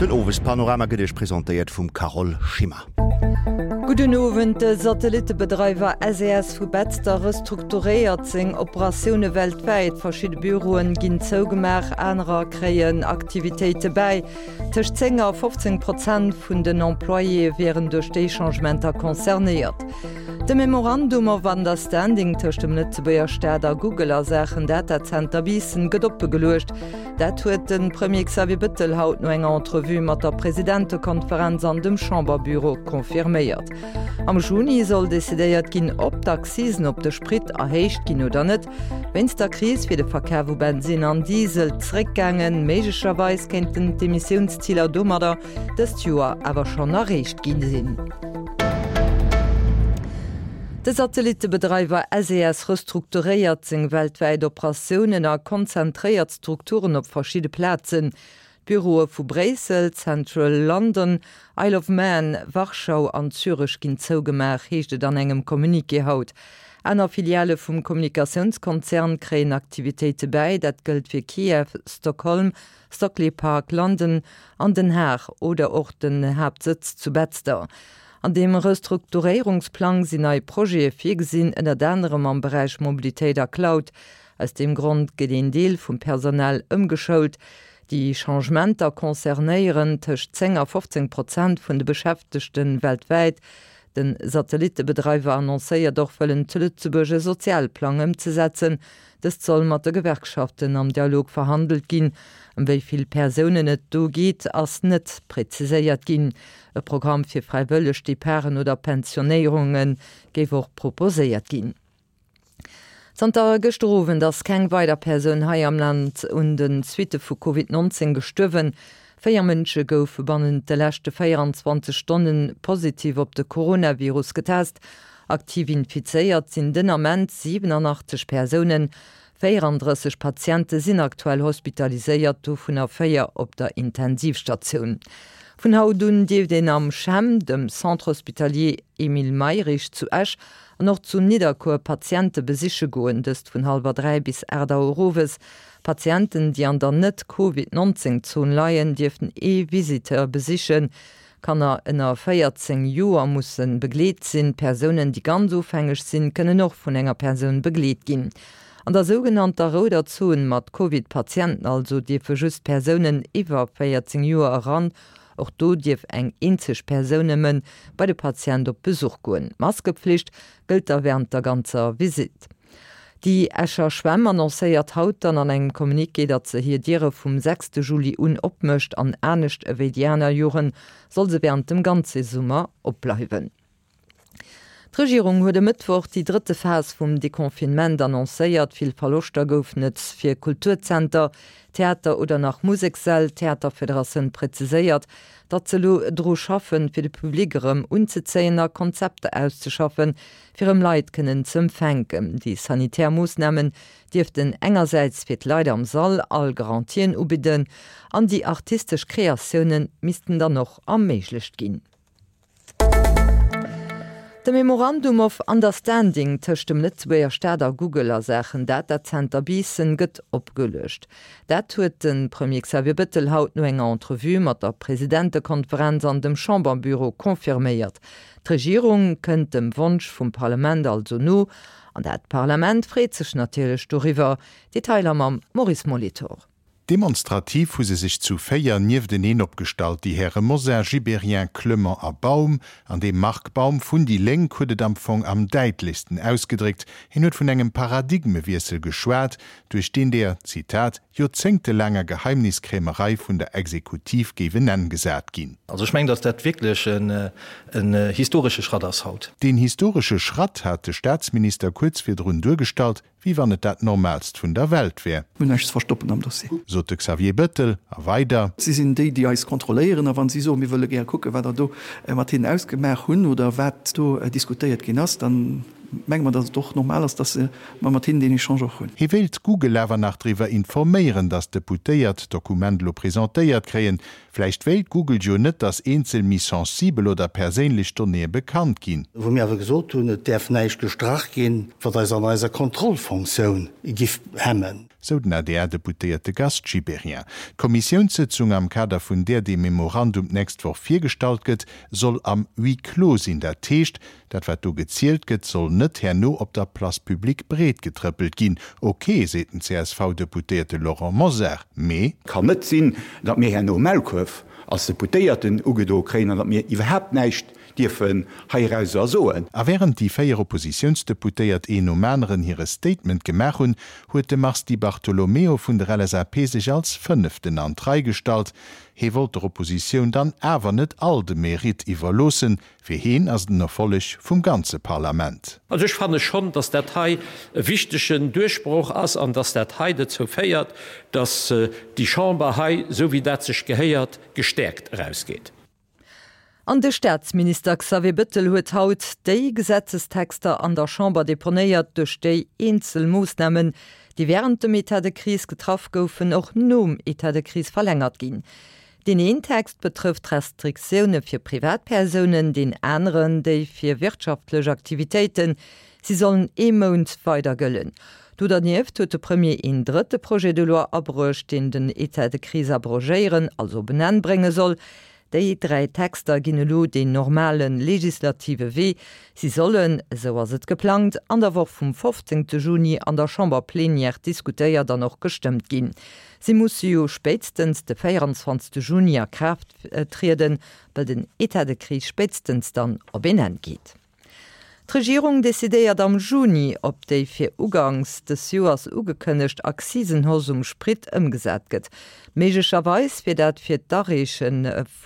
Den Owespanorama gëtt Iech presentéiert vum Carole Schimmer. Gudden Owend, De Satellittebedreiwer SES vu Betzder restrukturéiert seng Operatioune weltwäit. Verschidde Büroen ginn zougemaach, anerer kréien Aktivitéite bäi. Tëscht 10 a 15 Prozent vun den Employéë wieren duerch déi Changementer concernéiert. De Memorandum of Understanding tëscht dem Lëtzebuerger Staat a Google a Saachen Datazenter Biissen gëtt oppegeluecht. Dat huet de Premier Xavier Bettel haut no enger Entrevue mat der Presidentekonferenz an dem Chamberbüro confirméiert. Am Juni soll decidéiert ginn, ob d'Accisen op de Sprit erhéicht ginn oder net. Wéinst der Kris wier de Verkaf u Bensinn an Diesel zeréckgaangen. Méiglecherweis kéinten d'Emissiounsziler domadder dëst Joer awer schonn erreecht gi sinn. De Satellittebedreiwer SES restrukturéiert seng weltwäit Operatiounen a konzentréiert d'Strukturen op verschidde Plazen. D'Büroe vu Bréissel, Central London, Isle of Man, Warschau an Zürech ginn zougemaach, heescht et an engem Communiqué haut. Aner Filiale vum Kommunikatiounskonzern kréien Aktivitéite bäi, dat gëllt fir Kiew, Stockholm, Stockley Park, London an Den Haag oder och den Haaptsëtz zu Betzder. An deem Restrukturéierungsplang sinn nei Projete virgesinn, ënnert anerem am Beräich Mobilitéit a Cloud. Aus deem Grond gëtt een Deel vum Personal ëmgeschoult. Déi Changementer concernéieren tëscht 10 a 15 Prozent vun de Beschäftegte weltwäit. De Satellittebedreiwer annoncéiert och wëllen zu Lëtzebuerg e Sozialplang ëmzesetzen. Dëst soll mat de Gewerkschaften am Dialog verhandelt ginn. Ëm wéi vill Persounen et do geet, ass net preziséiert ginn. E Programm fir fräiwëlleg Departen oder Pensionéierunge géif och proposéiert ginn. Zanter gëschter Owend ass keng weider Persoun hei am Land un de Suitte vu Covid 19 gestuerwen. 4 Mënsche goufe bannent de leschte 24 Stonne positiv op de Coronavirus getest. Aktiv infizéiert sinn den Ament 87 Persounen. 34 Patiente sinn aktuell hospitaliséiert, dovunner 4 op der Intensivstatioun. Vun haut un dierft een am CHEM, dem Centre Hospitalier Emile Mayrisch zu Esch, An och zu Nidderkuer Patiente besiche goen, dëst vun hallwer 3 bis 8 Auer owes. Patienten, déi an der net-Covid 19 Zon leien, dierften ee Visiteur besichen. Kanner ënner 14 Joer musse begleet sinn. Persounen, déi ganz ofhängeg sinn, kënnen och vun enger Persoun begleet ginn. An der sougenannter rouder Zon mat Covid-Patienten also dierfe just Persounen iwwer 14 Joer eran. Och do dierf eng eenzeg Persoun nëmme bei de Patient op Besuch goen. D'Maskepflicht gëllt da wärend der ganzer Visitt. Déi Escher Schwämm annoncéiert haut dann an engem Communiqué, datt se hir Diere vum sechste Juli un opmécht an anescht ewéi déi aner Joren soll se wärend dem ganze Summer opbleiwen. D'Regierung huet e Mëttwoch déi drëtte Phas vum Deconfinement annoncéiert. Vill Verloschter goufen et fir Kulturzenter, Theater oder nach Musekssäll. D'Theaterfederatioun präziséiert, datt se elo dru schaffen, fir de Public erëm unzezéien a Konzepter auszeschaffen, fir erëm Leit kënnen ze empfänken. Déi sanitär Moossnamen dierften engersäits fir d'Leit am Sall all Garantien ubidden an déi artistesch Kreatioune missten dann och erméiglecht ginn. De Memorandum of Understanding tëscht dem Lëtzebuerger Staat a Google a Saachen Datazenter Biissen gëtt opgeluecht. Dat huet de Premier Xavier Bettel haut no enger Entrevue mat der Presidentekonferenz an dem Chamberbüro confirméiert. D'Regierung kënnt dem Wonsch vum Parlament also no. An dat Parlament freet sech natierlech doriwwer. Detailer mam Maurice Molitor. Demonstrativ hu se sech zu 4 niefteneen opgestallt, déi Häre Mosar, Gibéryen, Clement a Baum. An dee Marc Baum vun déi Lénk huet et am Fong am däitlechsten ausgedréckt, hien huet vun engem Paradigmewiessel geschwat, duerch deen der, Zitat, joerzéngtelaanger Geheimniskrämerei vun der Exekutiv géif en Enn gesat ginn. Also ech mengen, datt dat wierklech en historesche Schratt ass haut. Deen historesche Schratt hat de Staatsminister kuerz virdrun duergestallt, Wéi wann et dat Normaalst vun der Welt wär. Mir hunn näischt ze verstoppen am Dossier. Sot de Xavier Bettel. A weider. Si sinn déi, déi eis kontrolléieren. A wa si soen, mir wëlle gär kucken, wat der do mat hinnen ausgemaach hunn oder wat do diskutéiert ginn ass, da menge mer, datt et och normal ass, datt mer mat hinnen deen Echange och hunn. Hie wéilt Google awer nach driwwer informéieren, datt d'Deputéiert d'Dokument elo presentéiert kréien. Vläicht wéilt Google jo net, datt eenzel méi sensibel oder perséinlech Donnéeë bekannt ginn. Wou mir awer gesot hunn, et däerf näischt gestrach ginn, wat eis an eiser Kontrollfonctioun giff hemmen. Sou den ADR-Deputéierte Gast Gibéryen. D'Kommissiounssëtzung, am Kader vun där dee Memorandum d'nächst Woch virgestallt gëtt, soll am Huis clos sinn. Dat heescht, dat wat do gezielt gëtt, soll net herno op der Place publique breetgetrëppelt ginn. Ok, seet den CSV-Deputéierte Laurent Mosar, mee. Kann net sinn, datt mir herno Maulkuerf als Deputéierten ugedoe kréien an datt mir iwwerhaapt näischt dierfen heirauser soen. A wärend déi 4 Oppositiounsdeputéiert een nom aneren hire Statement gemaach hunn, huet de Mars Di Bartolomeo vun der LSAP sech als Fënneften an d'Rei gestallt. Hee wollt der Oppositioun dann awer net all de Mérite iwwerloossen. Fir heen ass et en Erfolleg vum ganze Parlament. Also ech fanne schonn, dass dat hei e wichtegen Duerchbroch ass an dass dat hei dozou féiert, dass déi Chamber hei, esou wéi dat sech gehéiert, gestäerkt erausgeet. An de Staatsminister Xavier Bettel huet haut déi Gesetzestexter an der Chamber deponéiert, duerch déi eenzel Moossnamen, déi wärend dem Etat de crise getraff goufen, och nom Etat de crise verlängert ginn. Deen een Text betrëfft Restriktioune fir Privatpersounen, deen aneren déi fir wirtschaftlech Aktivitéiten. Si sollen ee Mount weider gëllen. Do dernieft huet de Premier een drëtte Projet de loi abruecht, deen den Etat de crise abrogéieren, also op en Enn brénge soll. Déi 3 Texter ginn elo deen normale legislative Wee. Si sollen, esou ass et geplangt, an der Woch vum 15 Juni an der Chamber-Plenière diskutéiert an och gestëmmt ginn. Si musse jo spéitstens de 24 Juni a Kraaft trieden, well den Etat de crise spéitstens dann op een Enn geet. D'Regierung decidéiert am Juni, ob déi fir uganks des Joers ugekënnegt Accisenhausse um Sprit ëmgesat gëtt. Méiglecherweis wier dat fir d'Areeche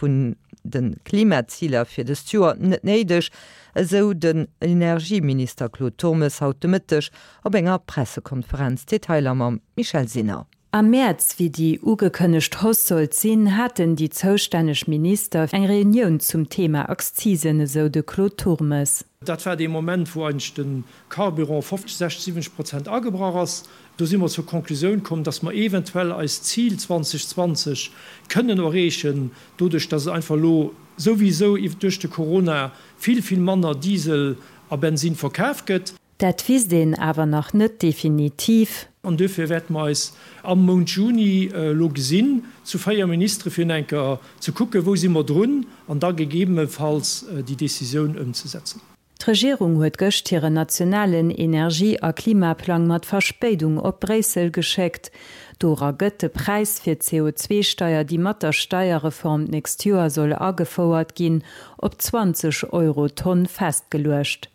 vun de Klimaziler fir dëst Joer net néideg, esou den Energieminister Claude Turmes haut de Mëtteg op enger Pressekonferenz. Detailer mam Michèle Sinner. Am Mäerz, wéi déi ugekënnegt Hausse sollt sinn, haten déi zoustänneg Minister eng Reunioun zum Thema Akzisen, esou de Claude Turmes. Dat war dee Moment, wou eigentlech de Carburant 50, 60, 70 Prozent agebrach ass. Do si mer zur Konklusioun komm, dass mer eventuell eist Zil 2020 kënnen erreechen, doduerch dass et einfach elo souwisou duerch de Corona vill, vill manner Diesel a Bensinn verkaf gëtt. Dat wisst een awer nach net definitiv. An duerfir wäerte mer eis am Mount Juni elo gesinn zu 4 Ministere fir eng Kéier ze kucken, wou si mer drun, an da gegebenefalls déi Décisioun ëmzesetzen. D'Regierung huet gëscht hiren nationalen Energie a Klimaplang mat Verspéidung op Bréissel geschéckt. Dora gëtt de Präis fir d'CO2-Steier, déi mat der Steierreform d'nächst Joer soll agefouert ginn, op 20 Euro d'Tonn festgeluecht.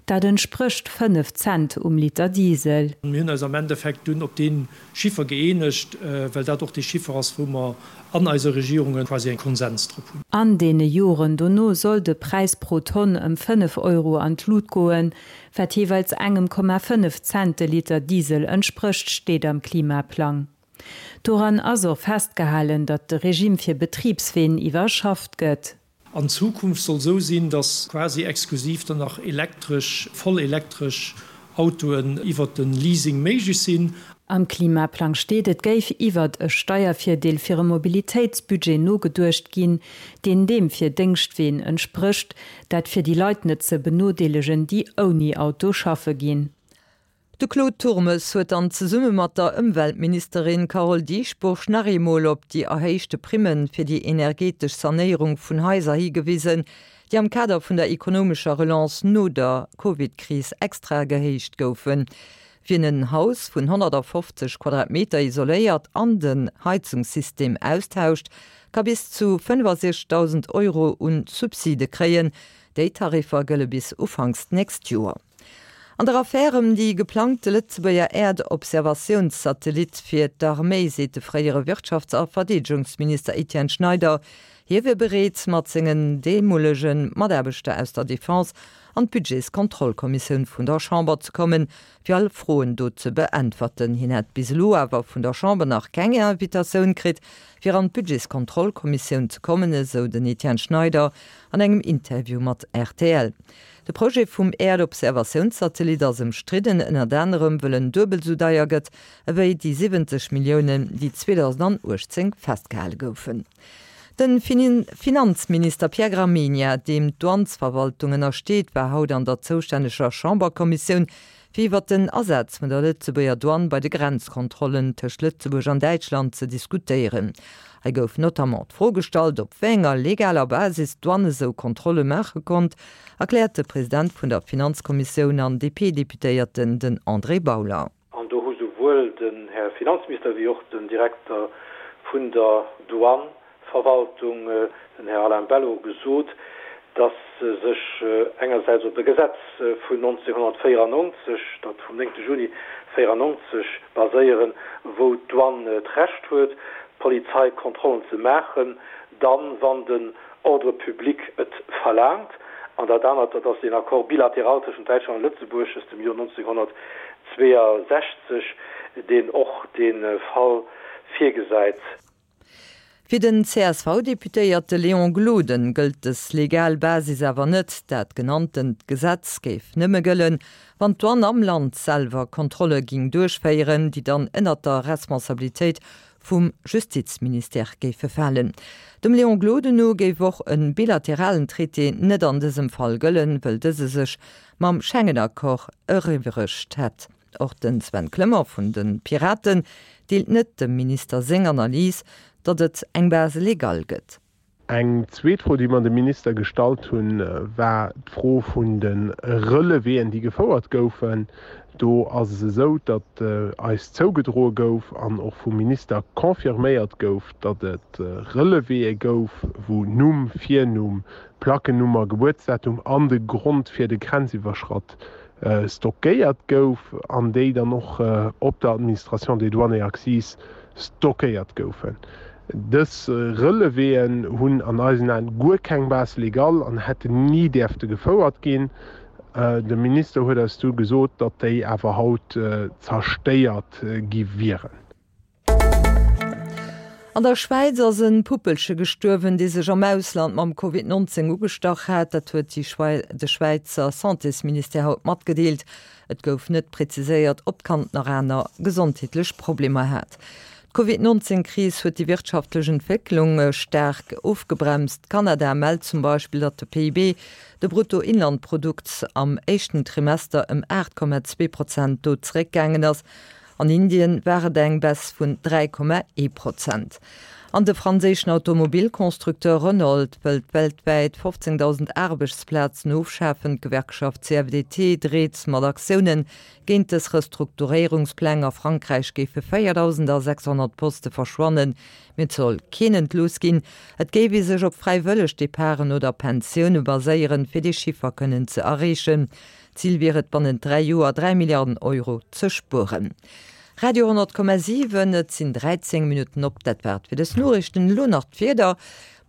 Dat entsprécht 5 Cent um Liter Diesel. Mir hunn eis am Endeffekt dunn op dee Chiffer gëeenegt, well dat och dee Chiffer ass, wou mer an eiser Regierung quasi e Konsens drop hunn. An deene Joren dono soll de Präis pro Tonn ëm 5 Euro an d'Lut goen, wat jeeweils engem Komma 5 Cent de Liter Diesel entsprécht, steet am Klimaplang. Doran ass och festgehalen, datt de Regime fir Betribsween iwwerschafft gëtt. An Zukunft soll sou sinn, dass quasi exklusiv dann nach elektresch, voll elektresch Autoen iwwert de Leasing méiglech sinn. Am Klimaplang steet, et géif iwwert e Steiervirdeel fir e Mobilitéitsbudget nogeduecht ginn, deen deem fir Déngschtween entsprécht, dat fir déi Leit net ze benodeelegen, déi ouni Auto schaffe ginn. De Claude Turmes huet dann zesumme mat der Ëmweltministerin Carole Dieschbourg nach eemol op déi erhéichte Primme fir déi energetesch Sanéierung vun Haiser higewisen, déi am Kader vun der ekonomescher Relance no der Covid-Kris extra gehéicht goufen. Wien en Haus vun 150 Quadratmeter isoléiert an den Heizungssystem austauscht, ka bis zu 65.000 Euro un Subside kréien. Déi Tariffer gëlle bis ufanks d'nächst Joer. An der Affär ëm déi geplangte Lëtzebuerger Äerdobservatiounssatellit fir d'Arméi seet de fréiere Wirtschafts a Verdeedegungsminister Etienne Schneider, hie wier bereet, mat sengen deemolege Mataarbechter aus der Defense an d'Budgetskontrollkommissioun vun der Chamber ze kommen, fir all Froen do ze beäntwerten. Hien hätt bis elo awer vun der Chamber nach keng Invitatioun kritt, fir an d'Budgetskontrollkommissioun ze kommen, esou den Etienne Schneider an engem Interview mat rtl. De Projet vum Äerdobservatiounssatellit ass ëmstridden, ënnert anerem wëll en duebel esou deier gëtt ewéi déi 70 Milliounen, déi 2018 festgehale goufen. De Finanzminister Pierre Gramegna, deem d'Douanesverwaltung ënnersteet, war haut an der zoustänneger Chamberkommissioun, fir iwwert den Asaz vun der Lëtzebuerger Douane bei de Grenzkontrollen tëscht Lëtzebuerg an Däitschland ze diskutéieren. Hei gouf notamment d'Fro gestallt, op wéi enger legaler Basis d'Douane esou Kontrolle maache konnt, erkläert de President vun der Finanzkommissioun an DP-Deputéierten, den André Bauler. An do hu souwuel den Här Finanzminister wéi och den Direkter vun der Douane-Verwaltung, den Här Alain Bello, gesot, dass se sech engersäits op e Gesetz vun 1994, dat vum 9 Juni 1994, baséieren, wou d'Douane d'Recht huet, Polizeikontrollen ze maachen, dann, wann den Ordre public et verlaangt. An dat anert, dat ass deen Accord bilatéral tëschent Däitschland a Lëtzebuerg aus dem Joer 1962, deen och dee Fall virgesäit. Fir den CSV-Deputéierte Léon Gloden gëllt dës legal Basis awer net. Dat genanntent Gesetz géif nëmme gëllen, wann d'Douane am Land selwer Kontrolle ging duerchféieren, déi dann ënnert der Responsabilitéit vum Justizministère géife falen. Dem Léon Gloden no géif och e bilateralen Traité net an dësem Fall gëllen, wëll dëse sech mam Schengen-Accord eriwweregt hätt. Och de Sven Clement vun de Piraten deelt net dem Minister seng Analys, datt et eng Base légale gëtt. Eng zweet Fro, déi mer dem Minister gestallt hunn, war d'Fro vun de Relevéen, déi gefouert goufen. Do ass es esou, datt eis zougedroe gouf an och vum Minister confirméiert gouf, datt et Relevéë gouf, wou Numm, Virnumm, Plackennummer, Gebuertsdatum an de Grond fir de Grenziwwerschratt stockéiert gouf an déi dann och op der Administration des douanes et accises stockéiert goufen. Dës Relevéen hunn an eisen Aen guer keng Base légale an hätten ni däerfte gefouert ginn. De Minister huet eis du gesot, datt déi awer haut zerstéiert gi wieren. An der Schwäiz ass e Puppelche gestuerwen, dee sech am Ausland mam Covid 19 ugestach hat. Dat huet de Schwäizer Santésministère haut matgedeelt. Et gouf net präziséiert, ob d'Kand nach aner gesondheetlech Problemer hat. D'Covid 19 Kris huet déi wirtschaftlech Entwécklung staark ofgebremst. Kanada mellt zum Beispill, datt de PIB, de Bruttoinlandprodukt, am éischten Trimester ëm 8,2 Prozent do zeréckgaangen ass. An Indien war et eng Baisse vun 3,1 Prozent. An de franséischen Automobilconstructeur Renault wëllt weltwäit 15.000 Aarbechtsplazen ofschafen. D'Gewerkschaft CFDT dreet mat Aktioune géint dës Restrukturéierungspläng. A Frankräich géife 4.600 Poste verschwannen, mee et soll keen entlooss ginn. Et géif ee sech op fräiwëlleg Departen oder Pensioune baséieren, fir dee Chiffer kënnen ze erreechen. Zil wier et, bannent 3 Joer 3 Milliarden Euro ze spueren. Radio 10,7, Et sinn 13 Minutten op. Dat war et fir dës Noriichten. Elo nach d'Wieder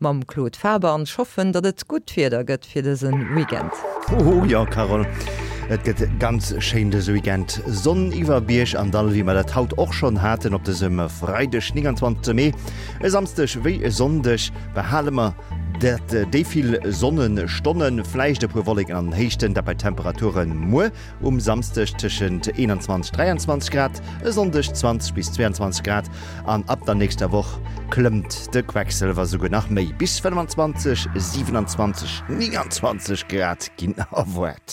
mam Claude Faber an ech hoffen, datt et gutt Wieder gëtt fir dëse Weekend. Hoho, jo Carole, et gëtt ganz schéin dëse Weekend. Sonn iwwer Bierg an Dall, wéi mer dat haut och schonn haten op dësem Freideg 29 Mee. E Samsdeg wéi e Sonndeg behale mer dat déi vill Sonnenstonnen, vläicht e puer Wolleken an den Héichten, dat bei Temperature muer um Samsdeg tëschent 21, 23 Grad, e Sonndeg 20 bis 22 Grad an ab der nächster Woch klëmmt de Quecksëlwer souguer nach méi, bis 25, 27, 29 Grad ginn erwaart.